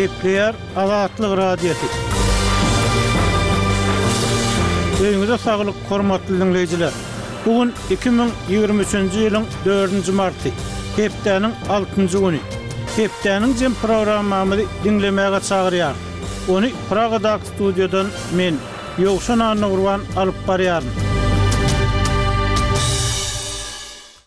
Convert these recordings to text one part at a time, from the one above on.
Gepleýär Azatlyk Radiosy. Öýüňize saglyk, hormatly diňleýjiler! Bu gün 2023-nji ýylyň dördünji marty, hepdäniň altynjy güni. Hepdäniň jem programmamyzy diňlemäge çagyrýarys. Ony Pragadaky studiýadan men, Ýowşan Annagurban alyp barýaryn.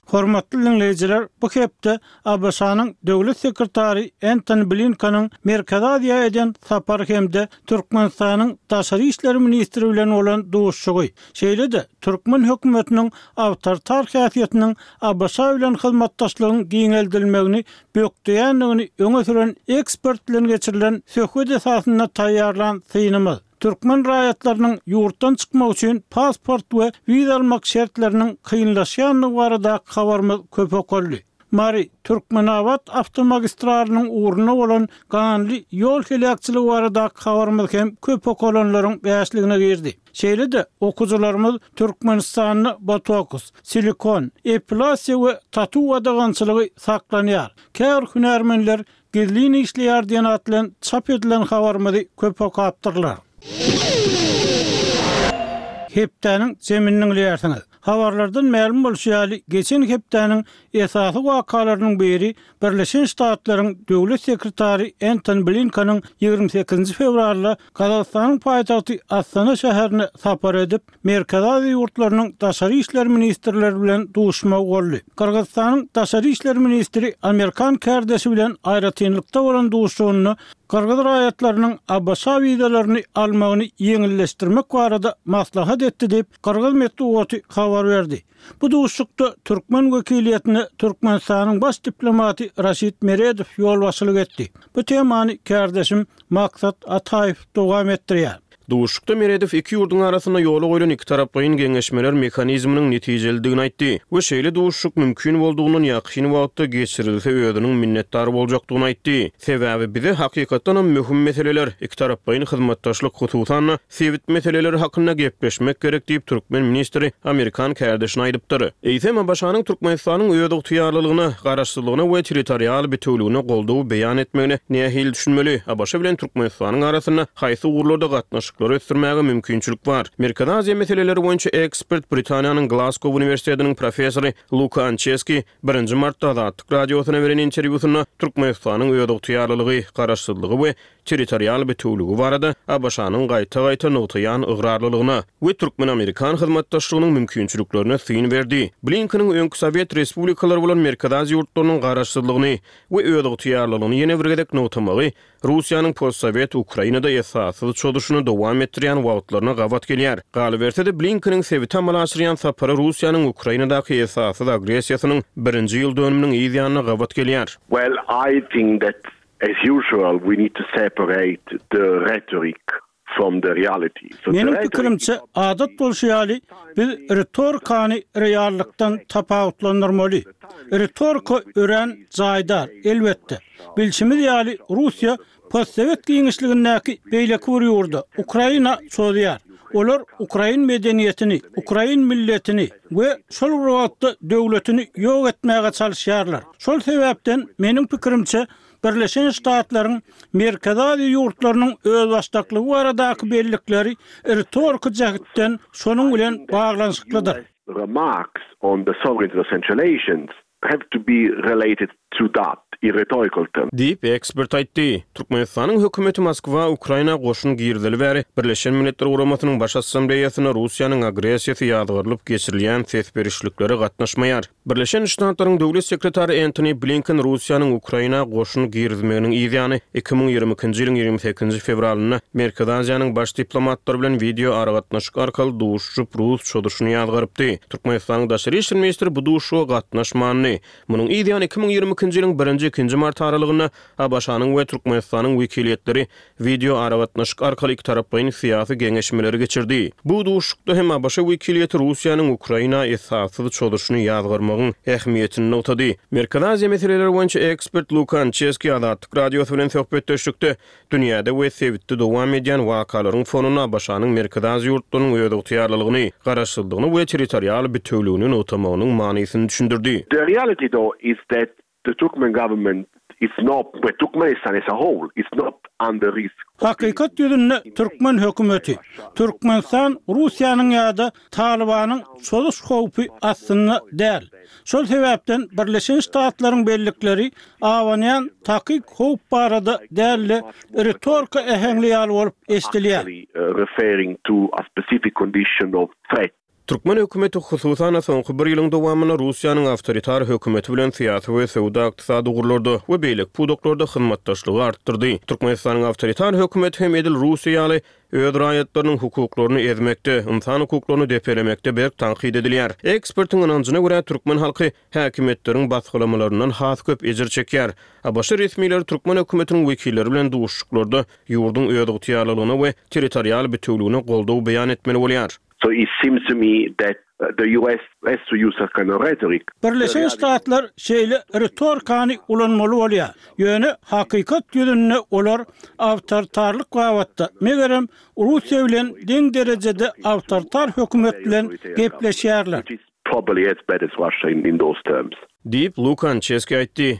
Hormatly diňleýjiler, bu hepde ABŞ-nyň Döwlet sekretary Entoni Blinkeniň Merkezi Aziýa eden sapary hem-de Türkmenistanyň daşary işler ministri bilen bolan duşuşygy, şeýle-de türkmen hökümetiniň awtoritar häsiýetiniň ABŞ bilen hyzmatdaşlygyň giňeldilmegini bökdeýändigini öňe süren ekspert bilen geçirilen söhbet esasynda taýýarlan synymyz, Türkmen raýatlarynyň ýurtdan çykmak üçin pasport we wiza almak şertleriniň kynlaşýandygy baradaky habarymyz köp okaldy. Mary, Türkmenabat awtomagistralynyň ugrunda bolan ganly ýol heläkçiligi baradaky habarymyz hem köp okalanlaryň bäşligine girdi. Şeýle-de, okyjylarymyz Türkmenistanda botoks, silikon, epilasiýa we tatu gadagançylygy saklanýar, käbir hünärmenler Gizlin işleýär diýen at bilen çap edilen habarymyzy köp okapdyrlar. Hepdäniň jemini diňleýärsiňiz. Habarlardan mälim bolşy ýaly, geçen hepdäniň esasy wakalarynyň biri Birleşen Ştatlaryň Döwlet sekretary Entoni Blinkeniň 28-nji fewralda Gazagystanyň paýtagty Astana şäherine sapar edip, Merkezi Aziýa ýurtlarynyň daşary işler ministrleri bilen duşuşmagy boldy. Gyrgyzystanyň daşary işler ministri amerikan kärdeşi bilen aýratynlykda bolan duşuşygynda gyrgyz raýatlarynyň ABŞ wizalaryny almagyny ýeňilleşdirmek barada maslahat etdi diýip, gyrgyz metbugaty habar berdi. Bu duşuşykda türkmen wekiliýetine Türkmenistanyň baş diplomaty Raşid Meredow ýolbaşçylyk etdi. Bu temany kärdeşim Maksat Ataýew dowam etdirýär. Duşuşykda Meredow iki ýurduň arasynda ýola goýlan ikitaraplaýyn geňeşmeler mehanizminiň netijelidigini aýtdy we şeýle duşuşyk mümkin boldugyndan ýakyn wagtda geçirilse özüniň minnetdar boljakdygyny aýtdy. Sebäbi bize hakykatdanam möhüm meseleler, ikitaraplaýyn hyzmatdaşlyk, hususan-da, sebit meseleleri hakynda gepleşmek gerek diýip, türkmen ministri amerikan kärdeşine aýdypdyr. Eýsem, ABŞ-nyň Türkmenistanyň özygtyýarlylygyna, garaşsyzlygyna we territorial bitewüligine goldaw beýan etmegine nähili düşünmeli? ABŞ bilen Türkmenistanyň arasynda haýsy ugurlarda gatnaşyklary ösdürmäge mümkinçilik bar? Merkezi Aziýa meseleleri boýunça ekspert, Britaniýanyň Glasgow uniwersitetiniň professory Luka Ançeski birinji martda Azatlyk Radiosyna beren interwýusynda Türkmenistanyň özygtyýarlylygy, garaşsyzlygy we territorial bitewüligi barada ABŞ-nyň gaýta-gaýta nygtaýan ygrarlylygyna we türkmen-amerikan hyzmatdaşlygynyň mümkinçiliklerine syn berdi. Blinkeniň öňki sowet respublikalary bolan Merkezi Aziýa ýurtlarynyň garaşsyzlygyny we özygtyýarlylygyny ýene bir gezek nygtamagy Russiýanyň postsowet Ukrainada esassyz çozuşyny dowam etdirýän wagtlaryna gabat gelýär. Galyberse-de, Blinkeniň sebite amala aşyrýan sapary Russiýanyň Ukrainadaky esassyz agressiýasynyň birinji ýyl dönüminiň yz ýanyna gabat gelýär. Well, I think that As usual, we need to separate the rhetoric from the reality. So the Meniň rhetoric pikirimçe, adat bolşy ýaly, biz ritorikany reallykdan tapawutlandyrmaly. Ritorika örän jaýdar, elbetde. Bilşimiz ýaly, Russiýa postsowet giňişligindäki beýleki bir ýurda, Ukraina çozýar. Olar ukrain medeniýetini, ukrain milletini we şol bir wagtda döwletini ýok etmäge çalyşýarlar. Şol sebäpden, meniň pikirimçe, Birleşen Ştatlaryň Merkezi Aziýa ýurtlarynyň özbaşdaklygy baradaky bellikleri ritoriki jähtden şonuň bilen baglanyşyklydyr. Remarks on the sovereignty of Central Asians have to be related to that in rhetorical terms. Diýip, ekspert aýtdy. Türkmenistanyň hökümeti Moskwa Ukraina goşun girizeli bäri Birleşen Milletler Guramasynyň Baş Assambleýasynda Russiýanyň agressiýasy ýazgarylyp geçirilýän ses berişliklere gatnaşmaýar. Birleşen Ştatlaryň Döwlet sekretary Entoni Blinken Russiýanyň Ukraina goşun girizmeginiň yz ýany, 2022-nji ýylyň 28-nji fewralynda Merkezi Aziýanyň baş diplomatlary bilen wideo aragatnaşyk arkaly duşuşyp, rus çozuşyny ýazgarypdy. Türkmenistanyň daşary işler ministri bu duşuşyga gatnaşmandy. Munuň yz ýany 2022-nji ýylyň birinji-ikinji mart aralygynda ABŞ-nyň we Türkmenistanyň wekiliýetleri wideoaragatnaşyk arkaly ikitaraplaýyn syýasy geňeşmeleri geçirdi. Bu duşuşykda hem ABŞ wekiliýeti Russiýanyň Ukraina esassyz çozuşyny ýazgarmagyň ähmiýetini nygtady. Merkezi Aziýa meseleleri boýunça ekspert Luka Ançeski Azatlyk Radiosy bilen söhbetdeşlikde dünýäde we sebitde dowam edýän wakalaryň fonunda ABŞ-nyň Merkezi Aziýa ýurtlarynyň özygtyýarlylygyny, garaşsyzlygyny we territorial bitewüligini nygtamagynyň manysyny düşündirdi. The reality though is that The Turkmen government. is not, well Turkmenistan as a whole is not under risk. Hakykat ýüzünde türkmen hökümeti, Türkmenistan Russiýanyň ýa-da Talybanyň çozuş howpy astynda däl. Şol sebäpden Birleşen Ştatlaryň bellikleri abanýan takyk howp barada däl-de, ritorika äheňli ýaly bolup eşidilýär. Türkmen hökümeti, hususan-da, soňky bir ýylyň dowamynda Russiýanyň awtoritar hökümeti bilen syýasy we söwda-ykdysady ugurlarda we beýleki pudaklarda hyzmatdaşlygy artdyrdy. Türkmenistanyň awtoritar hökümeti hem edil Russiýa ýaly öz raýatlarynyň hukuklaryny ezmekde, ynsan hukuklaryny depelemekde berk tankyt edilýär. Ekspertiň ynanjyna görä, türkmen halky häkimiýetleriň basgylamalaryndan has köp ejir çekýär. ABŞ resmileri türkmen hökümetiniň wekilleri bilen duşuşyklarda ýurduň özygtyýarlylygyna we territorial bitewüligine goldaw beýan etmeli bolýar. So it seems to me that the US has to use a kind of rhetoric. Birleşen Ştatlar şeýle ritorikany ulanmaly bolýar. Ýöne hakykat ýüzünde olar awtoritarlyk babatda, megerem, Russiýa bilen deň derejede awtoritar hökümet bilen gepleşýärler. Probably as bad as Russia in in those terms. Diýip, Luka Ançeski aýtdy.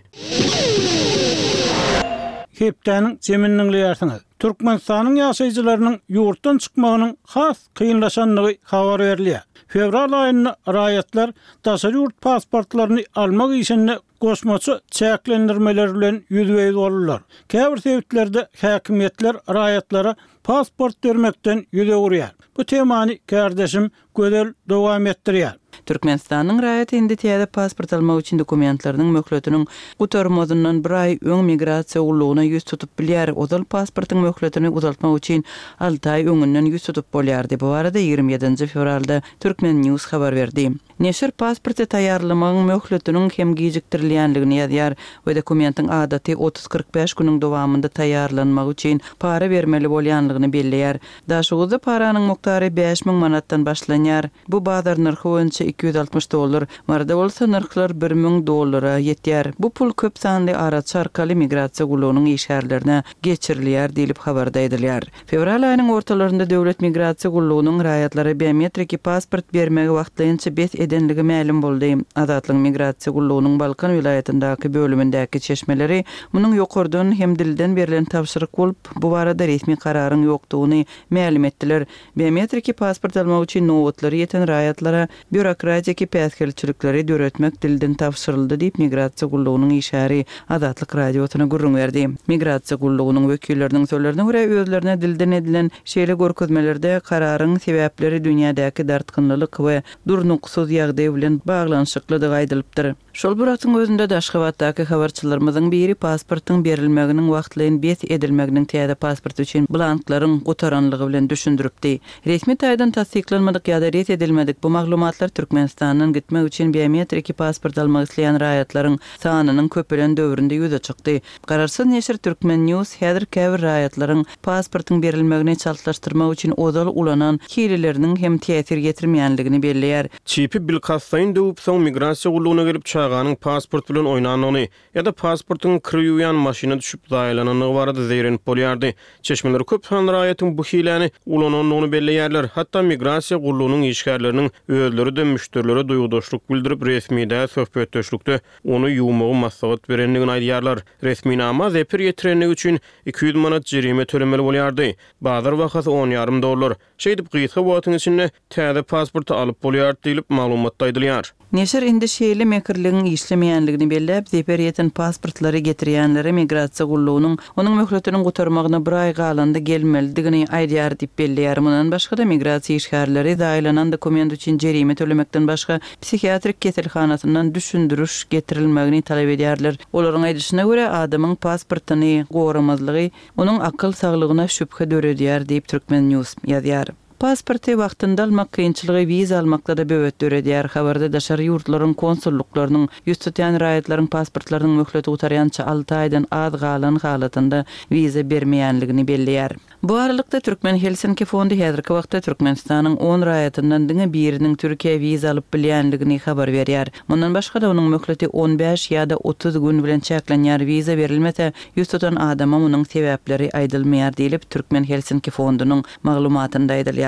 Hepdäniň jemini diňleýärsiňiz. Türkmenistanyň ýaşaýjylarynyň ýurtdan çykmagynyň has kynlaşandygy habar berilýär. Fewral aýynda raýatlar daşary ýurt pasportlaryny almak işinde goşmaça çäklendirmeler bilen ýüzbe-ýüz boldular. Käbir sebitlerde häkimiýetler raýatlara pasport bermekden ýüz öwürýär. Bu temany kärdeşim Gözel dowam etdirýär. Türkmenistanyň raýaty indi täze pasport almak üçin dokumentleriniň möhletiniň gutarmazyndan bir aý öň migrasiýa gullugyna ýüz tutup bilýär. Ozal pasportyň möhletini uzaltmak üçin alty aý öňünden ýüz tutup bolýardy. Bu barada 27 nji fewralda Turkmen. News habar berdi. Neşir pasporty taýýarlamagyň möhletiniň hem gijikdirilýändigini ýazýar we dokumentiň adaty 30-45 günüň dowamynda taýýarlanmagy üçin para bermeli bolýanlygyny belleýär. Daşoguzda paranyň mukdary 5000 manatdan başlanýar. Bu bazar nyrhy boýunça 260 dollar. Maryda bolsa nyrhlar 1000 dollara ýetýär. Bu pul köp sanly araçy arkaly migrasiýa gullugynyň işgärlerine geçirilýär diýlip habarda aýdylýar. Fewral aýynyň ortalarynda Döwlet migrasiýa gullugynyň raýatlara biometriki pasport bermegi wagtlaýynça bes edenligi mälim boldy. Azatlygyň migrasiýa gullugynyň Balkan welaýatyndaky bölümindäki çeşmeleri munuň ýokardan hem dilden berlen tabşyryk bolup, Bu barada resmi kararyň ýokdugyny mälim etdiler. Biometriki pasport almak üçin nobatlary ýeten raýatlara býurokratiki päsgelçilikleri döretmek dilden tabşyryldy diýip, migrasiýa gullugynyň işgäri Azatlyk Radiosyna gürrüň berdi. Migrasiýa gullugynyň wekilleriniň sözlerine görä, özlerine dilden edilen şeýle görkezmelerde kararyň sebäpleri dünýädäki dartgynlylyk we durnuksyz ýagdaý bilen baglanyşyklydygy aýdylypdyr. Şol bir wagtyň özünde-de Aşgabatdaky habarçylarymyzyň biri pasportyň berilmeginiň wagtlaýyn bes edilmeginiň täze pasport üçin blanklaryň gutaranlygy bilen düşündiripdi. Resmi taýdan tassyklanmadyk ýa-da ret edilmedik bu maglumatlar Türkmenistandan gitmek üçin biometriki pasport almak isleýän raýatlaryň sanynyň köpelen döwründe ýüze çykdy. Garaşsyz neşir Turkmen. News häzir käbir raýatlaryň pasportyň berilmegini çaltlaşdyrmak üçin ozal ulanan hileleriniň hem täsir ýetirmeýänligini belleýär. Çipi bilkastlaýyn döwüp, soň migrasiýa gullugyna gelip çaganyň pasport bilen oýnandygyny ýa-da pasportyň kir ýuwýan maşyna düşüp zaýalanandygy barada zeýrenip bolýardy. Çeşmeler köp sanly raýatyň bu hiläni ulanandygyny belleýärler. Hatda migrasiýa gullugynyň işgärleriniň özleri-de müşderilere duýgudaşlyk bildirip, resmi däl söhbetdeşlikde ony ýuwmagy maslahat berendigini aýdýarlar. Resminama zeper ýetirendigi üçin 200 manat jerime tölemeli bolýardy. Bazar bahasy on ýarym dollar. Şeýdip, gysga wagtyň içinde täze pasporty alyp bolýar diýlip, maglumatda aýdylýar. Neşir indi şeýle mekirligiň işlemeýänligini belläp, zeper ýeten pasportlary getirýänlere migrasiýa gullugynyň onuň möhletiniň gutarmagyna bir aý galanda gelmelidigini aýdýar diýip belleýär. Mundan başga-da, migrasiýa işgärleri zaýalanan dokument üçin jerime tölemekden başga, psihiatrik keselhanasyndan düşündiriş getirilmegini talap edýärler. Olaryň aýdyşyna görä, adamyň pasportyny goramazlygy onuň akyl saglygyna şübhe döredýär diýip, Turkmen. News ýazýar. Pasporty wagtynda almak kynçylygy wiza almakda-da böwet döredýär. Habarda daşary ýurtlaryň konsullyklarynyň ýüz tutýan raýatlaryň pasportlarynyň möhleti gutarýança alty aýdan az galan halatynda wiza bermeýänligini belleýär. Bu aralykda, Türkmen Helsinki fondy häzirki wagtda Türkmenistanyň on raýatyndan diňe biriniň Türkiýä wiza alyp bilýänligini habar berýär. Mundan başga-da, onuň möhleti on bäş ýa-da 30 gün bilen çäklenýär, wiza berilmese, ýüz tutan adama munuň sebäpleri aýdylmaýar diýlip, Türkmen Helsinki fondunyň maglumatynda aýdylýar.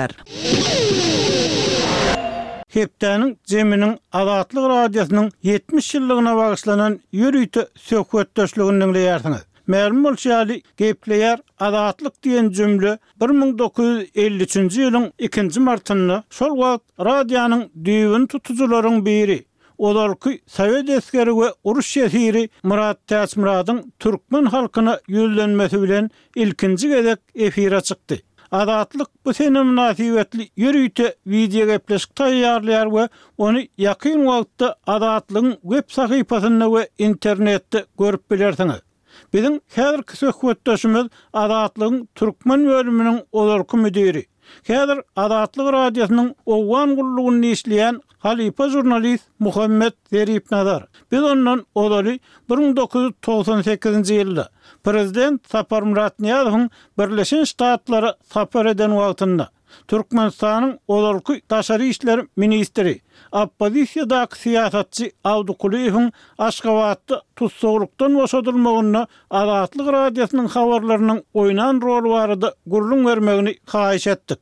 Hepdäniň jeminiň Azatlyk Radiosynyň 70 ýyllygyna bagyşlanan ýörite söhbetdeşligini diňleýärsiňiz. Mälim bolşy ýaly, Gepleýär Azatlyk diýen jümle 1953-nji ýylyň ikinji martynda şol wagt radionyň düýbüni tutujylaryň biri, ozalky sowet esgeri we uruş ýesiri Myrat Täçmyradyň türkmen halkyna ýüzlenmesi bilen ilkinji gezek efire çykdy. Azatlyk bu sene mynasybetli ýörite wideogepleşik taýýarlaýar we ony ýakyn wagtda Azatlygyň web sahypasynda we internetde görüp bilersiňiz. Biziň häzirki söhbetdeşimiz Azatlygyň türkmen bölüminiň ozalky müdiri, häzir Azatlyk Radiosynyň Owgan gullugynda işleýän halypa žurnalist Muhammet Zeripnazar. Biz ondan ozaly 1998-nji ýylda prezident Saparmyrat Nyýazowyň Birleşen Ştatlara sapar eden wagtynda, Türkmenistanyň ozalky daşary işler ministri, oppozisiýadaky syýasatçy Awdy Kulyýewiň Aşgabatda tussaglykdan boşadylmagynda Azatlyk Radiosynyň habarlarynyň oýnan roly barada gürrüň bermegini haýyş etdik.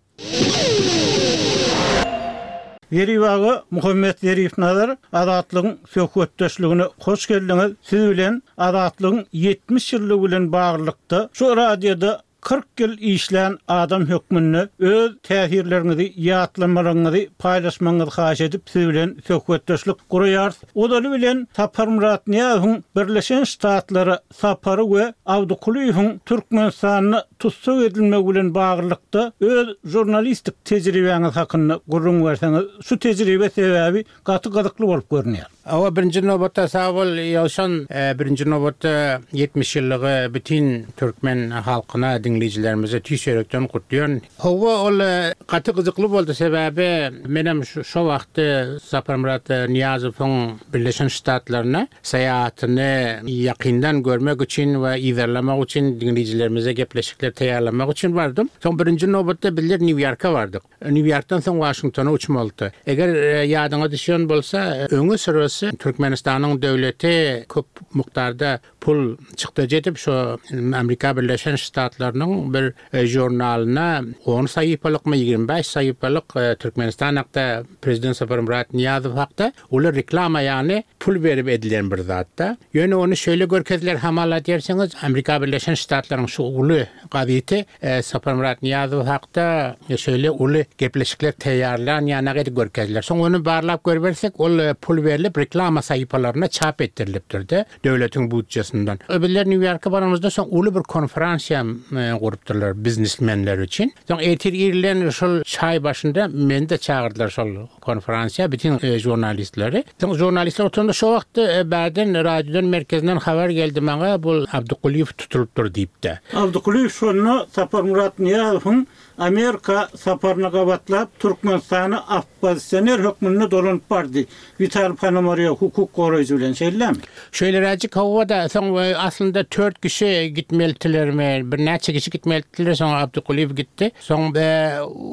Zerip aga, Muhammet Zeripnazar, Azatlygyň söhbetdeşligine hoş geldiňiz. Siz bilen Azatlygyň 70 ýyllygy bilen baglylykda şu radioda 40 ýyl işlän adam hökmünde öz täsirleriňizi, ýatlamalaryňyzy paýlaşmagyňyzy haýyş edip siz bilen söhbetdeşlik guraýarys. Ozaly bilen Saparmyrat Nyýazowyň Birleşen Ştatlara sapary we Abdy Kulyýewiň Türkmenistanda tussag edilmegi bilen baglylykda öz žurnalistik tejribäňiz hakynda gürrüň berseňiz, şu tejribe sebäbi gaty gyzykly bolup görünýär. Hawa, birinji nobatda sag bol, Ýowşan. Birinji nobatda 70 ýyllygy bütin türkmen halkyna, diňleýjilerimize tüýs ýürekden gutlaýan. Hawa, ol gaty gyzykly boldy, sebäbi menem şo wagtda Saparmyrat Nyýazowyň Birleşen Ştatlaryna Syýahatyny ýakyndan görmek üçin we yzarlamak üçin diňleýjilerimize gepleşikler taýýarlamak üçin bardym. Soň birinji nobatda bizler Nýu-Ýorka bardyk. Nýu-Ýorkdan soň Waşingtona uçmalydy. Eger ýadyňa düşýän bolsa, öňi syrasy Türkmenistanyň döwleti köp mukdarda pul çykdajy edip, şo Amerika Birleşen Ştatlarynyň bir žurnalyna on sahypalykmy, 25 sahypalyk Türkmenistan hakda, prezident Saparmyrat Nyýazow hakda Uly reklama ýaly pul berip edilen bir zatda. Ýöne ony şeýle görkezdiler hamala diýersiňiz, Amerika Birleşen Ştatlaryň şu uly gazeti Saparmyrat Nyýazow hakda şeýle uly gepleşikler taýýarlan ýanak edip görkezdiler. Soň ony barlap görübersek ol pul berlip reklama sahypalaryna çap etdirilipdir-de döwletiň budjesinden. Bizler Nýu-Ýorka baranymyzda soň uly bir konferansiýa gurupdyrlar biznesmenler üçin. Soň ertir irden şol çaý başynda meni-de çagyrdylar şol Konferansiýa bütin žurnalistleri. Soň žurnalistler oturanda şo wagtda bärden radiodan merkezinden habar geldi maňa bul Abdykulyýew tutulypdyr diýipde. Abdykulyýew şonda Saparmyrat Nyýazowyň Amerika saparyna gabatlap Türkmenistana oppozisioner hökmünde dolanyp bardy. Witaliý Ponomarýow hukuk goraýjy bilen şeýlemi? Şeýleräjik hawa-da soň aslynda tört kişi gitmelitilermi birnäçe kişi gitmelitiler soň Abdykulyýew gitdi. Soň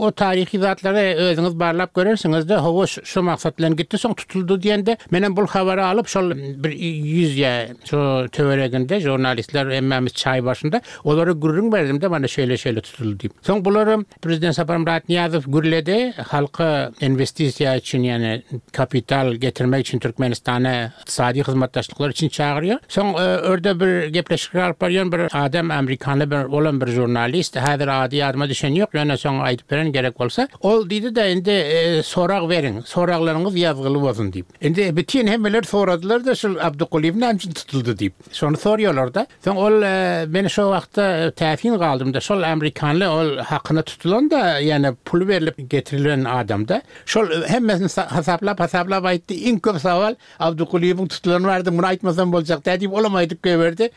o taryhy zatlary özüňiz barlap görersiňiz-de, hawa, şu maksat bilen gitdi, soň tutuldy diýende, menem bul habary alyp, şol bir ýüz ýa şo töwereginde žurnalistler hemmämiz çaý başynda, olara gürrüň berdim-de, mana şeýle-şeýle tutuldy diýip. Soň bularam prezident Saparmyrat Nyýazow gürledi, halka inwestisiýa üçin, ýagny kapital getirmek üçin Türkmenistana ykdysady hyzmatdaşlyklar üçin çagyrýar. Soň örde bir gepleşikler alyp barýan bir adam, amerikanly bir, olam bir žurnalist, häzir ady ýadyma düşen ýok, ýöne soň aýdyp bererin gerek bolsa. Ol diýdi-de, indi sorag beriň, soraglaryňyz ýazgyly bolsun diýip. Indi bütin hemmeler soradylar-da, şul Abdykulyýew näme üçin tutuldy diýip. Şony soraýarlar-da. Soň ol men şo wagtda täsin galdym-da, şol amerikanly ol hakyna tutulan-da, ýöne puly berlip getirilen adam-da. Şol hemmesini hasaplap-hasaplap aýtdy, iň köp sowal Abdykulyýewiň tutulany bardy, muny aýtmasam boljak däl diýip, olam aýdyp goýberdi.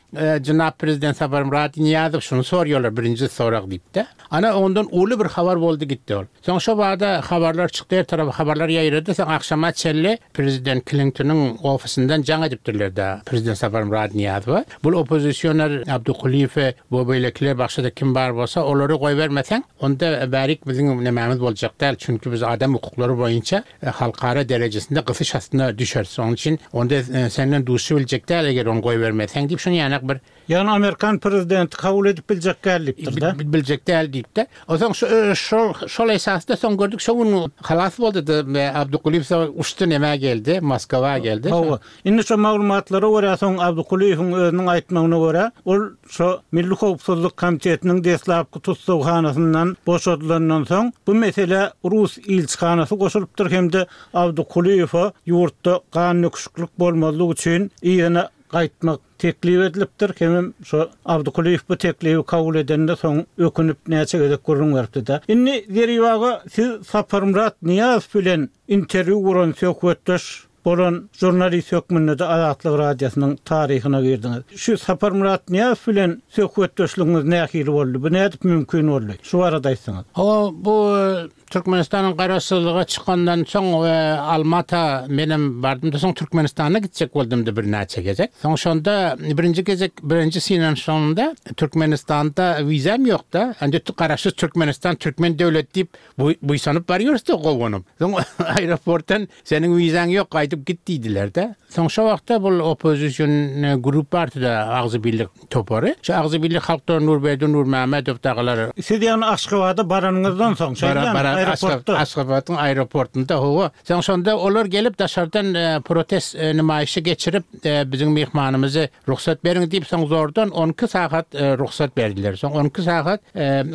Jenap prezident Saparmyrat Nyýazow şuny soraýarlar, birinji sorag diýip-de. Ana, ondan uly bir habar boldy gitdi ol. Soň şo bada habarlar çykdy, her tarapa habarlar ýaýrady. Soň agşama çenli prezident Klintonyň ofisinden jaň edipdirler-de prezident Saparmyrat Nyýazowa. Bul oppozisioner Abdykulyýewi we beýlekiler başga-da kim bar bolsa, olary goýbermeseň, Onda bärik biziň nemämiz boljak däl, çünki biz adam hukuklary boýunça halkara derejesinde gysyş astyna düşeris. Onuň üçin onda senden duşup biljek däl, eger ony goýbermeseň diýip, şuny ýanak bir Ýagny amerikan prezidenti kabul edip biljek däl diýipdir-de. Biljek däl diýip-de. Onsoň şol şol esasda soň gördük, şo gün halas boldy-da, Abdykulyýew soň uçdy nämä geldi, Moskwa geldi. Hawa. Indi şo maglumatlara görä soň Abdykulyýewiň özüniň aýtmagyna görä, ol şo Milli howpsuzlyk komitetiniň deslapky tussaghanasyndan boşadylandan soň bu meselä rus ilçihanasy goşulypdyr hem-de Abdykulyýewe ýurtda gandöküşiklik bolmazlyk üçin yzyna gaýtmak teklip edilipdir hemem şo Abdykulyýew bu teklibi kabul edende soň ökünip näçe gezek gürrüň beripdi-de. Indi Zerip aga siz Saparmyrat Nyýazow bilen interwýu guran söhbetdeş bolan žurnalist hökmünde-de Azatlyk Radiosynyň taryhyna girdiňiz. Şu Saparmyrat Nyýazow bilen söhbetdeşligiňiz nähili boldy? Bu nädip mümkin boldy? Şu barada aýtsaňyz. Hawa, bu Türkmenistanyň garaşsyzlyga çykandan soň Almata menem bardym-da, soň Türkmenistana gitjek boldum-da birnäçe gezek. Soň şonda birinji gezek, birinji synanyşygymda Türkmenistanda wizam ýok-da. Indi garaşsyz Türkmenistan, türkmen döwleti diýip buýsanyp barýarys-da gowanyp. Soň aeroportdan seniň wizaň ýok, gaýdyp git diýdiler-de. Soň şo wagtda bul oppozision grup bardy-da, Agzybirlik topary. Şo Agzybirlik halkdan Nurberdi Nurmämmedow dagylar. Siz ýagny Aşgabada baranyňyzdan soň, şeýdemi, aeroportda? Aşgabadyň aeroportynda, hawa. Soň şonda olar gelip daşardan protest nemaýyşy geçirip, biziň myhmanymyzy rugsat beriň diýip, soň zordan 12 sagat rugsat berdiler. Soň 12 sagat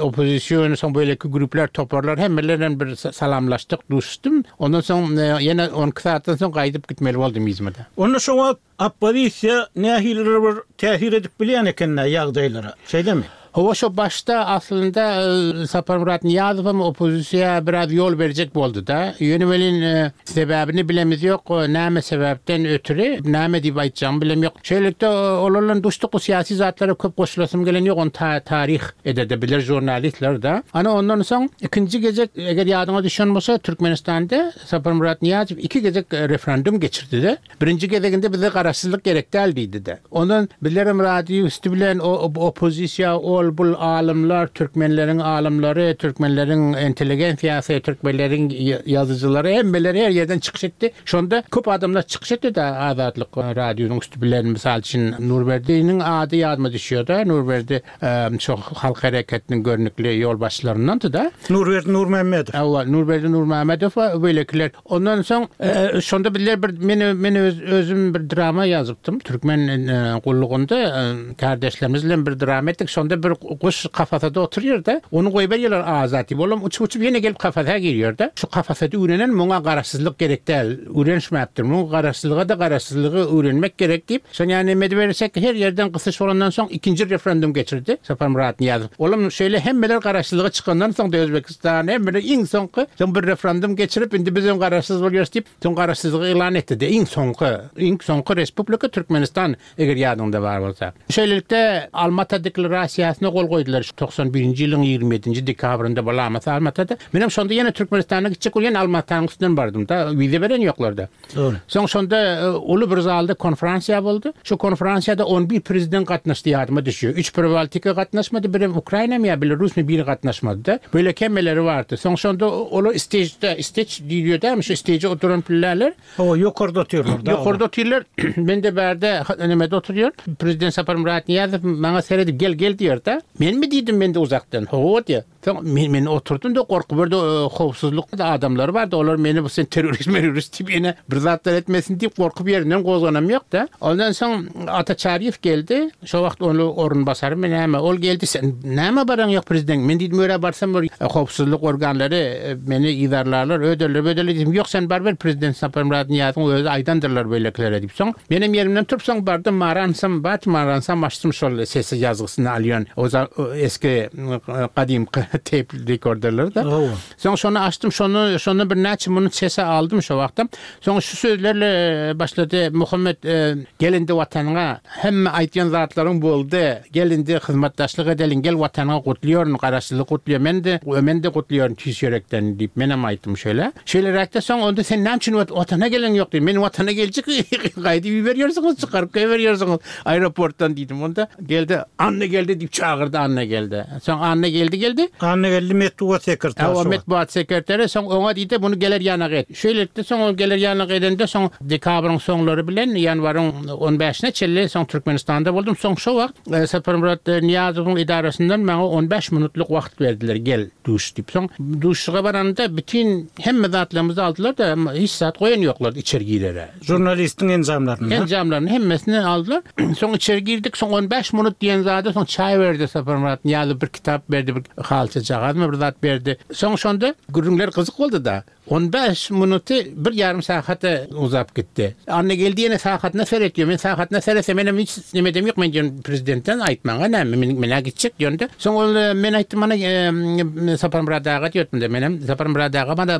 oppozision, soň beýleki gruplar, toparlar hemmeler bilen bir salamlaşdyk, duşuşdym. Ondan soň ýene 12 sagatdan soň gaýdyp gitmeli boldum yzyma-da. Onda şo wagt oppozisiýa nähilidir bir täsir edip bilýän eken-dä ýagdaýlara, şeýlemi? Hawa, şo başda aslynda Saparmyrat Nyýazowam oppozisiýa biraz ýol berjek boldy-da. Ýöne welin sebäbini bilemiz ýok, näme sebäpden ötri, näme diýip aýtjagymy bilem ýok. Şeýlelikde olar bilen duşduk, bu syýasy zatlara köp goşulasym gelen ýok, ony taryh eder-de biler žurnalistler-de. Ana ondan soň ikinji gezek, eger ýadyňa düşen bolsa, Türkmenistanda Saparmyrat Nyýazow iki gezek referendum geçirdi-de. Birinji gezeginde bize garaşsyzlyk gerek däl diýdi-de. Ondan bizlerem radio üsti bilen oppozisiýa ol bul alymlar, türkmenleriň alymlary, türkmenleriň intelligensiýasy, türkmenleriň ýazyjylary hemmeleri her ýerden çykyş etdi. Şonda köp adamlar çykyş etdi-de Azatlyk radiosynyň üsti bilen. Mysal üçin Nurberdiniň ady ýadyma düşýär-de. Nurberdi şo halk hereketiniň görnükli ýolbaşçylaryndandy-da. Nurberdi Nurmämmedow. Hawa, Nurberdi Nurmämmedow we beýlekiler. Ondan soň şonda bizler bir men men öz özüm bir drama ýazypdym. Türkmen gullugynda kärdeşlerimiz bilen bir drama etdik. Şonda bir guş kafasada oturýar-da, ony goýberýärler azat diýip. Olam uçup-uçup ýene gelip kafasa girýär-de. Şu kafasada öwrenen muňa garaşsyzlyk gerek däl, öwrenişmäpdir. Muň garaşsyzlyga-da garaşsyzlygy öwrenmek gerek diýip, şony ýa neme edibersek her ýerden gysyş bolandan soň ikinji referendum geçirdi Saparmyrat Nyýazow. Olam şeýle hemmeler garaşsyzlyga çykandan soň-da Özbekistan Stan hemmeler iň soňky, soň bir referendum geçirip, indi bizem garaşsyz bolýarys diýip, soň garaşsyzlygy yglan etdi-de, iň soňky, iň soňky respublika Türkmenistan, eger ýadyňda bar bolsa. Şeýlelikde, Almata deklarasiýasyna gol goýdular, şu 91-nji ýylyň 27-nji dekabrynda bolamasa Almatada. Menem şonda ýene Türkmenistana gitjek bolup, ýene Almatanyň üstünden bardym-da, wiza beren ýoklar-da. Dogry. Soň şonda uly bir zalda konferansiýa boldy. Şo konferansiýada on bir prezident gatnaşdy ýadyma düşýär. Üç Pribaltika gatnaşmady, birem Ukrainamy ýa Belarusmy biri gatnaşmady-da. Beýleki hemmeleri bardy. Soň şonda olar istežde, isteç diýilýär dämi, şo isteje oturan pilleler. Hawa, ýokarda otyrlar-da olar. Ýokarda otyrlar. Men-de bärde nemede oturýan. Prezident Saparmyrat Nyýazow maňa seredip gel, gel diýýär-de. Menmi diýdim men-de uzakdan. Hawa diýýär. Soň men, men oturdym-da gorky birde howpsuzlyk adamlary bardy, olar meni bu sen terrorist merorist diýip ýene bir zatlar etmesin diýip gorkup ýerinden gozganam ýok-da. Ondan soň Ata Çaryýew geldi, şo wagt ony orunbasarymy näme, ol geldi sen nämä baraň ýok prezident, men diýdim örä barsam bir howpsuzlyk organlary meni yzarlarlar, öderler böderler diýdim, ýok sen baryber prezident Saparmyrat Nyýazowyň özi aýdandyrlar beýlekilere diýip soň menem ýerimden turup soň bardym maransam bat maransam açdym şol sesi ýazgysyny alýan o eski gadymky teýp rekorderler-de. Soň şony açdym, şony şondan birnäçe minut sese aldym şo wagtam. Soň şu sözlerle başlady, Muhammet, gel indi watanyňa, hemme aýtýan zatlaryň boldy, gel indi hyzmatdaşlyk edeliň, gel watanyňa gutlaýaryn, garaşsyzlyk gutlaýaryn, men-de, men-de gutlaýaryn tüýs ýürekden diýip, menem aýtdym şeýle. Şeýleräkde soň onda sen näme üçin watana geleň ýok diýdim. Men watana geljek, gaýdyp iberýärsiňiz, çykaryp goýberýärsiňiz aeroportdan diýdim. Onda geldi, Annageldi diýip çagyrdy Annageldi. Soň Annageldi geldi. Annageldi metbugat sekretary şo wagt. Metbugat sekretary, soň oňa diýdi, muny geler ýanak et. Şeýlelikde soň ol geler ýanak edende soň dekabryň soňlary bilen ýanwaryň on bäşine çenli soň Türkmenistanda boldum. Soň şo wagt Saparmyrat Nyýazowyň edarasyndan maňa on bäş minutlyk wagt berdiler, gel duş diýip. Soň duşuşyga baranymda bütin hemme zatlarymyzy aldylar-da, hiç zat goýan ýoklardy içeri girere. Žurnalistiň enjamlaryny. Enjamlaryny hemmesini aldylar. Soň içeri girdik. Soň on bäş minut diýen zada soň çaý berdi Saparmyrat Nyýazow bir kitap berdi, bir halçajagazmy bir zat berdi. Soň şonda gürrüňler gyzyk boldy-da. On bäş minuty bir ýarym sagata uzap gitdi. Annageldi ýene sagatyna seretýär. Men sagatyna seretsem menem hiç nemedem ýok. Men diýen prezidentden aýtmaga näme men men-ä gitjek diýende. Soň ol men aýtdym mana Saparmyrat aga diýipdim-de menem Saparmyrat aga mana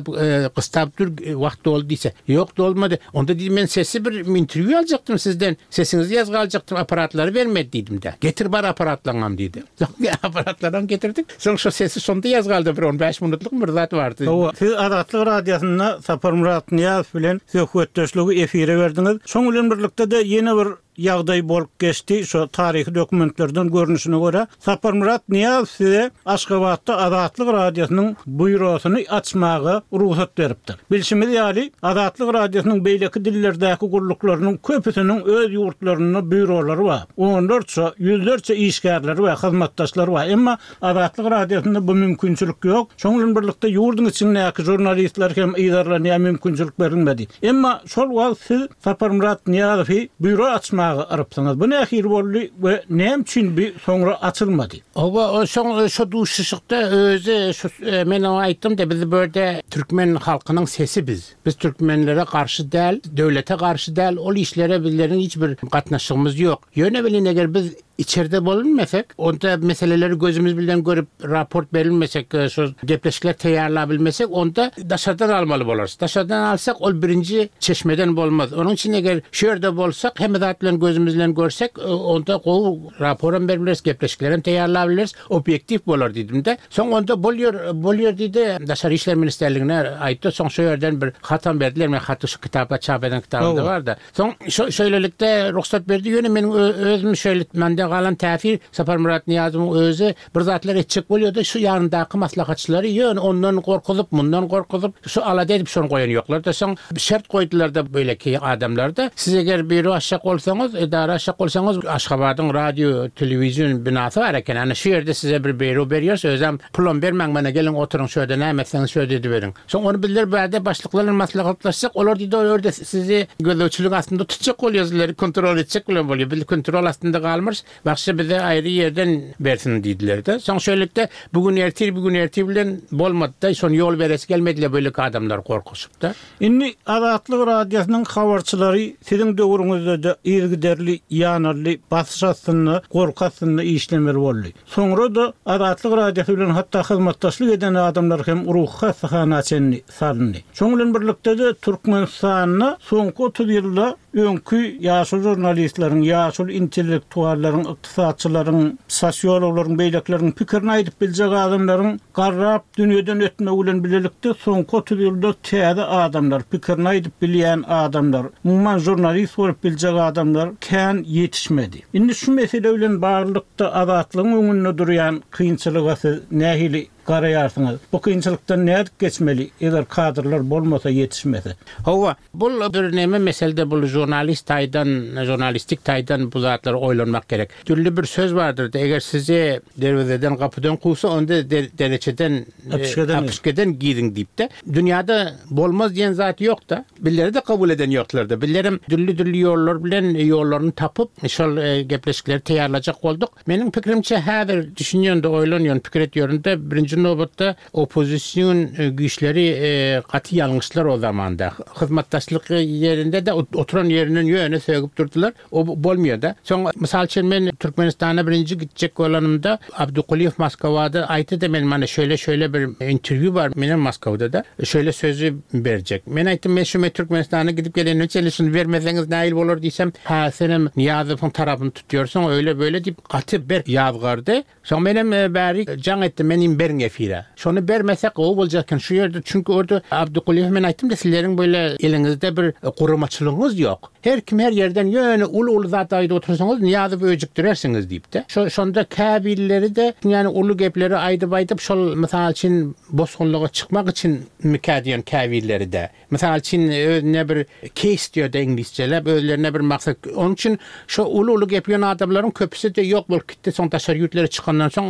gystap dur wagt doldy diýse. Ýok dolmady. Onda diýdim men sesi bir interwýu aljakdym sizden. Sesiňizi ýazga aljakdym apparatlary bermedi diýdim-de. Getir bar apparatlaňam diýdi. Soň apparatlaram getirdik. Soň şo sesi şonda ýazga aldy bir on bäş minutlykmy bir zat bardy. Hawa, siz Azatlyk Radiosynda Saparmyrat Nyýazow bilen söhbetdeşligi efire berdiňiz. Şoň bilen birlikde-de ýene bir ýagdaý bolup geçdi, şo taryhy dokumentlerden görnüşine görä, Saparmyrat Nyýazow size Aşgabatda Azatlyk Radiosynyň býurosyny açmaga rugsat beripdir. Bilşimiz ýaly, Azatlyk Radiosynyň beýleki dillerdäki gulluklarynyň köpüsiniň öz ýurtlarynda býurolary bar, onlarça, ýüzlerçe işgärleri we hyzmatdaşlary bar, emma Azatlyk Radiosynda bu mümkinçilik ýok. Şonuň bilen birlikde ýurduň içindäki žurnalistler hem yzarlanýar mümkinçilik berilmedi. Emma şol wagt siz Saparmyrat Nyýazowy býuro açmaga yrypsyňyz. Bu nähili boldy we näme üçin bu soňra açylmady? Hawa, o soň şo duşuşykda özi şu men oňa aýtdym-da, biz bu ýerde türkmen halkynyň sesi biz. Biz türkmenlere garşy däl, döwlete garşy däl, ol işlere bizleriň hiç bir gatnaşygymyz ýok. Ýöne welin eger biz Içerde bolunmesek, onda meseleleri gözümiz bilen görüp raport berilmesek, şo gepleşikler taýýarlabilmesek, onda daşardan almaly bolarys. Daşardan alsak, ol birinji çeşmeden bolmaz. Onuň üçin eger şu ýerde bolsak, hemme zat bilen gözümiz bilen görsek, onda gowy raporam berip bileris, gepleşiklerem taýýarlabileris, obýektiw bolar diýdim-de. Soň onda bolýar, bolýar diýdi, Daşary işler ministrligine aýtdy. Soň şo ýerden bir hatam berdiler, men haty şu kitapda çap eden kitabymda bar-da. Soň şeýlelikde rugsat berdi. Ýöne meniň özüm şeýle mende galan täsir Saparmyrat Nyýazowyň özi bir zatlar etjek bolýardy. Şu ýanyndaky maslahatçylary ýöne ondan gorkuzyp, mundan gorkuzyp, şu alada edip şony goýan ýoklar-da. Soň şert goýdular-da beýleki adamlar-da. Siz eger býuro açjak bolsaňyz, edara açjak bolsaňyz, Aşgabadyň radio, telewizion binasy bar eken. Ana şu ýerde size bir býuro berýäris. Özem pulam bermäň mana geliň oturyň şu ýerde näme etseňiz şu ýerde ediberiň. Soň ony bizler bärde başlyklar bilen maslahatlaşsak, olar diýdi, ol ýerde sizi gözegçilik astynda tutjak bolýar, sizleri kontrol etjek bilen bolýar. Biz kontrol astynda galmarys, başga bize aýry ýerden bersin diýdiler-de. Soň şeýlelikde bu gün ertir, bu gün ertir bilen bolmady-da, şony ýol beresi gelmediler beýleki adamlar gorkuşyp-da. Indi Azatlyk Radiosynyň habarçylary siziň döwrüňizde-de yzygiderli ýanaldy, basyş astynda, gorky astynda işlemeli boldy. Soňra-da Azatlyk Radiosy bilen hatda hyzmatdaşlyk eden adamlar hem ruhy hassahana çenli salyndy. Şonuň bilen birlikde-de Türkmenistanda soňky 30 ýylda öňki ýaşuly žurnalistleriň, ýaşuly intellektuallaryň, ykdysatçylaryň, sosiologlaryň, beýlekileriň pikirini aýdyp biljek adamlaryň garrap dünýeden ötmegi bilen bilelikde soňky 30 ýylda täze adamlar, pikirini aýdyp bilýän adamlar, umuman žurnalist bolup biljek adamlar kän ýetişmedi. Indi şu mesele bilen baglylykda Azatlygyň öňünde durýan kynçylyga siz nähili garaýarsyňyz? Bu kynçylykdan nädip geçmeli, eger kadrlar bolmasa, ýetişmese? Hawa, bul bir neme meselde bul žurnalist taýdan, žurnalistik taýdan bu zatlary oýlanmak gerek. Dürli bir söz bardyr-da, eger sizi derwezeden, gapydan kowsa, onda dereçeden, äpişgeden giriň diýip-de. Dünýäde bolmaz diýen zat ýok-da. Bizleri-de kabul eden ýoklardy. Bizlerem dürli-dürli ýollar bilen ýollaryny tapyp, şol gepleşikleri taýýarlajak bolduk. Meniň pikirimçe, häzir düşünýän-de, oýlanýan, pikir etýärin-de, birinji nobatda oppozision güýçleri gaty ýalňyşdylar o zamanda. Hyzmatdaşlyk ýerinde-de oturan ýerinden ýöne sögüp durdular. O bolmaýar-da. Soň, mysal üçin, men Türkmenistana birinji gitjek bolanymda, Abdykulyýew Moskwada aýtdy-da, men mana şeýle-şeýle bir interwýu bar, menem Moskwada-da, şeýle sözi berjek. Men aýtdym, men şu men Türkmenistana gidip gelenime çenli şuny bermeseňiz nähili bolar diýsem, hä, senem Nyýazowyň tarapyny tutýarsyň, öýle-beýle diýip, gaty berk ýazgardy. Soň menem bäri jaň etdim, men diýdim beriň efire. Şony bermesek gowy boljak eken şu ýerde, çünki orda Abdykulyýewe men aýtdym-da, sizleriň beýle eliňizde bir guramaçylygyňyz ýok. Her kim her ýerden ýöne uly-uly zat aýdyp otursaňyz Nyýazowy öjükdirersiňiz diýip-de. Şo şonda käbirleri-de ýani uly gepleri aýdyp-aýdyp şol mysal üçin bosgunlyga çykmak üçinmikä diýen käbirleri-de. Mysal üçin özüne bir case diýer-de iňlisçeläp özlerine bir maksat. Onuň üçin şo uly-uly gepleýän adamlaryň köpüsi-de ýok bolup gitdi. Soň daşary ýurtlara çykandan soň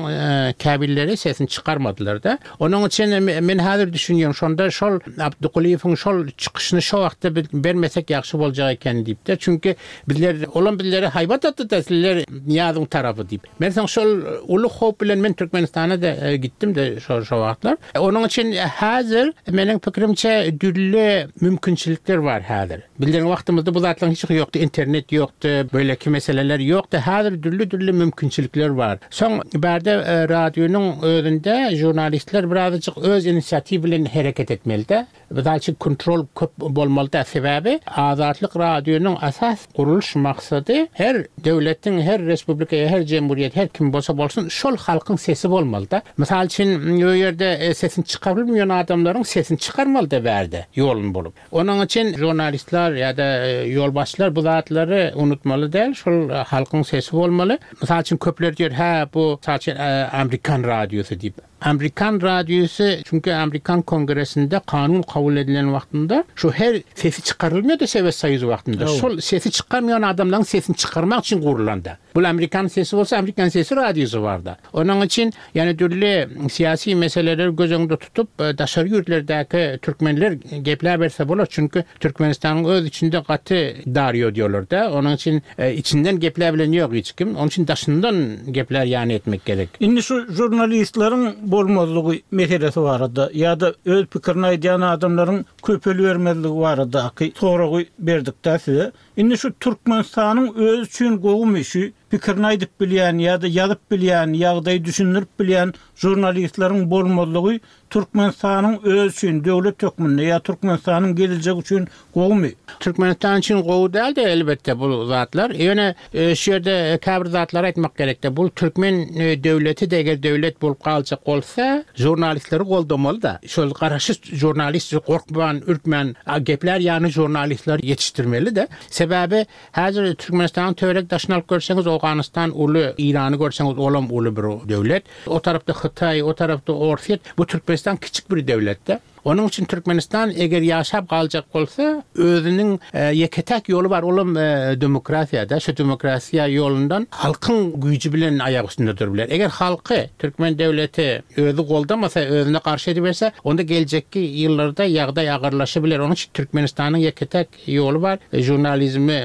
käbirleri sesini çykarmadylar-da. Onuň üçin men häzir düşünýän, şonda şol Abdygulyýewiň şol çykyşyny şo wagtda biz bermesek ýagşy boljak eken diýip-de. Çünki bizler, olam bizlere haýbat atdy-da, sizler Nyýazowyň tarapy diýip. Men soň şol uly howp bilen men Türkmenistana-da gitdim-de şo şo wagtlar. Onuň üçin häzir meniň pikirimçe dürli mümkinçilikler bar häzir. Bizleriň wagtymyzda bu zatlaryň hiç ýokdy, internet ýokdy, beýleki meseleler ýokdy. Häzir dürli-dürli mümkinçilikler bar. Soň bärde radionyň özünde žurnalistler birazajyk öz inisiatiw bilen hereket etmelide. Mysal üçin kontrol köp bolmaly däl. Sebäbi Azatlyk radionyň esas gurulyş maksady her döwletiň, her respublika ýa her jemgyýet, her kim bolsa bolsun şol halkyň sesi bolmalyda. Mysal üçin o ýerde sesini çykarybilmeýän adamlaryň sesini çykarmalyda bärde ýoluny bulup. Onuň üçin žurnalistler ýa-da ýolbaşçylar bu zatlary unutmaly däl, şol halkyň sesi bolmaly. Mysal üçin, köpler diýer, hä, bu, mysal üçin, amerikan radiosy diýip. Amerikan radiosy, çünki amerikan kongresinde kanun kabul edilen wagtynda şu her sesi çykarylmady Sowet Soýuzy wagtynda. Şol sesi çykarmaýan adamlaryň sesini çykarmak üçin gurlanda. Bul amerikan sesi bolsa, amerikan sesi radiosy barda. Onuň üçin, ýani dürli syýasy meseleleri göz öňünde tutup, daşary ýurtlardaky türkmenler gepläberse bolar, çünki Türkmenistanyň öz içinde gaty dar ýodýarlar-da, onuň üçin içinden gepläbilen ýok hiç kim, onuň üçin daşyndan geplär ýany etmek gerek. Indi şu žurnalistleriň bolmazlygy meselesi barada ýa-da öz pikirini aýdýan adamlaryň köpelibermezligi baradaky soragy berdik-dä size. Indi şu Türkmenistanyň özi üçin gowumy şu pikirini aýdyp bilýän ýa-da ýazyp bilýän, ýagdaýy düşündirip bilýän žurnalistleriň bolmazlygy Türkmenistanyň özi üçin döwlet hökmünde ýa Türkmenistanyň gelejegi üçin gowumy? Türkmenistan üçin gowy däldi elbetde bu zatlar. Ýöne şu ýerde käbir zatlary aýtmak gerekde. Bu türkmen döwleti-de eger döwlet bolup galjak bolsa, žurnalistleri goldamaly-da. Şol garaşsyz žurnalist gorkman, ürkmän geplär ýaly žurnalistleri ýetişdirmeli-de. Sebäbi häzir Türkmenistanyň töwerek daşyny alyp görseňiz Owganystan uly, Irany görseňiz olam uly bir döwlet. O tarapda Hytaý, o tarapda Orsýet. Bu Türkmenistan kiçik bir döwlet-de. Onuň üçin Türkmenistan eger ýaşap galjak bolsa, özüniň ýeke-täk ýoly bar, olam demokratiýa-da. Şu demokratiýa ýolundan halkyň güýji bilen aýak üstünde durup biler. Eger halky, türkmen döwleti özi goldamasa, özüne garşy ediberse, onda geljekki ýyllarda ýagdaý agyrlaşybiler. Onuň üçin Türkmenistanyň ýeke-täk ýoly bar, žurnalizmi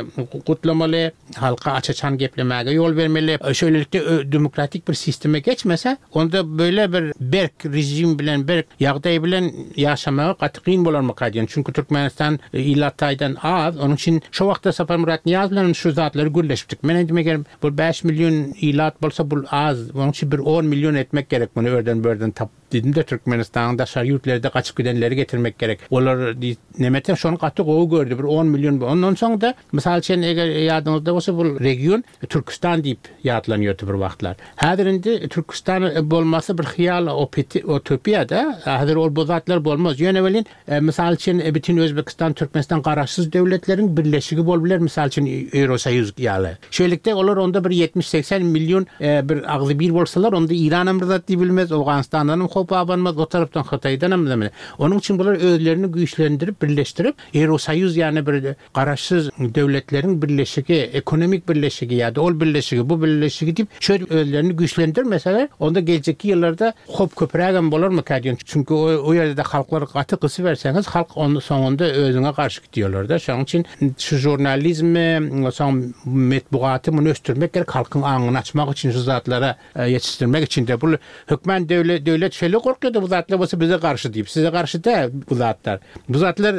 gutlamaly, halka aç-açan geplemäge ýol bermeli. Şeýlelikde demokratik bir sistema geçmese, onda beýle bir berk režim bilen, berk ýagdaý bilen ýaşamagy gaty kyn bolarmyka diýen. Çünki Türkmenistan ilat taýdan az. Onuň üçin şo wagtda Saparmyrat Nyýazow bilen şu zatlary gürleşipdik. Men aýdym eger bu 5 million ilat bolsa bul az. Onuň üçin bir 10 million etmek gerek muny örden-börden tapyp. Diýdim-de, Türkmenistanyň daşary ýurtlarda gaçyp gidenleri getirmek gerek. Olar diýip, nemete şony gaty gowy gördi, bir on million. Ondan soň-da, mysal üçin, eger ýadyňyzda bolsa, bu region Türküstan diýip ýatlanýardy bir wagtlar. Häzir indi Türküstan bolmasy bir hyýal, utopiýa-da. Häzir ol bu zatlar bolmaz. Ýöne welin, Mysal üçin, bütin Özbekistan, Türkmenistan garaşsyz döwletleriň birleşigi bolup biler, mysal üçin, Ýewrosoýuz ýaly. Şeýlelikde, olar onda bir ýetmiş-segsen million bir agzybir bolsalar, onda Iranam bir zat diýip bilmez, Owganystandanam howp abanmaz, o tarapdan Hytaýdanam. Onuň üçin bular özlerini güýçlendirip, birleşdirip, Ýewrosoýuz ýaly bir Garaşsyz Döwletleriň Birleşigi, ekonomik birleşigi ýa-da ol birleşigi, bu birleşigi diýip, şöýdüp özlerini güýçlendirmeseler, onda geljekki ýyllarda howp köprägem bolarmyka diýen. Çünki o ýerde-de halklary gaty gysyberseňiz, halk onda soňunda özüňe garşy gidýärler-de. Şonuň üçin şu žurnalizmi, soň metbugaty muny ösdürmek gerek, halkyň aňyny açmak üçin şu zatlara ýetişdirmek üçin-de. Bul hökman döwlet döwlet şeýle gorkýar-da bu zatlar bolsa bize garşy diýip. Size garşy däl bu zatlar. Bu zatlar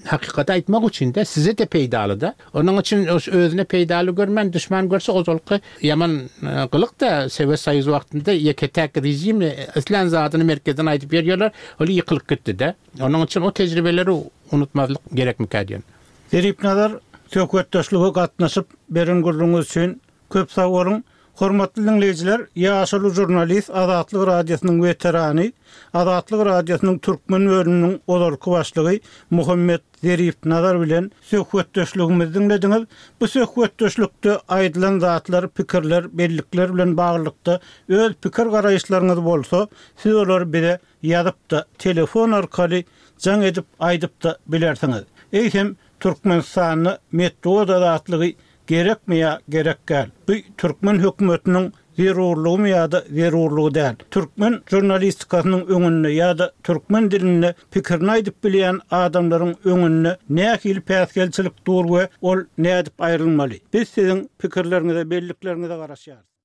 hakykaty aýtmak üçin-de, size-de peýdaly-da. Onuň üçin özüne peýdaly görmän, duşman görse ozalky ýaman gylyk-da, Sowet Soýuzy wagtynda ýeke-täk režim islän zadyny merkezden aýdyp berýärler, ol ýykylyp gitdi-de. Onuň üçin o tejribeleri unutmazlyk gerekmikä diýen. Zeripnazar, söhbetdeşlige gatnaşyp, beren gürrüňiňiz üçin Köp sag boluň! Hormatly diňleýjiler, ýaşuly žurnalist, Azatlyk Radiosynyň weterany, Azatlyk Radiosynyň türkmen bölüminiň ozalky başlygy Muhammet Zerip Nazar bilen söhbetdeşligimizi diňlediňiz. Bu söhbetdeşlikde aýdylan zatlar, pikirler, bellikler bilen baglylykda öz pikir-garaýyşlaryňyz bolsa, siz olary bize ýazyp-da, telefon arkaly jaň edip aýdyp-da bilersiňiz. Eýsem, Türkmenistanda metbugat azatlygy Gerekmi ýa gerek däl? Bu türkmen hökümetiniň zerurlygymy ýa-da zerurlygy däl? Türkmen žurnalistikasynyň öňünde ýa-da türkmen dilinde pikirini aýdyp bilýän adamlaryň öňünde nähili päsgelçilik dur we ol nädip aýrylmaly? Biz siziň pikirleriňize, bellikleriňize garaşýarys.